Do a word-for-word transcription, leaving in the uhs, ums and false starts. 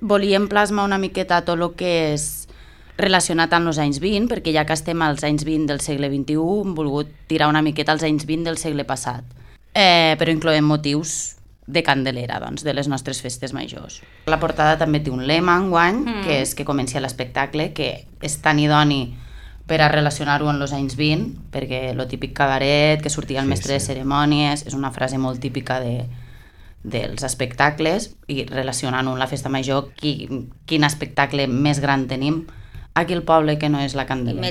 volíem plasmar una miqueta tot el que és relacionat amb els anys vint, perquè ja que estem als anys vint del segle vint-i-u, hem volgut tirar una miqueta als anys vint del segle passat. Eh, però incloem motius de Candelera, doncs, de les nostres festes majors. La portada també té un lema enguany, mm. que és que comenci l'espectacle, que és tan idoni per a relacionar-ho amb els anys vint, perquè lo típic cabaret, que sortia el sí, mestre sí. de cerimònies, és una frase molt típica de, dels espectacles, i relacionant-ho amb la festa major, qui, quin espectacle més gran tenim aquí al poble que no és la Candelera.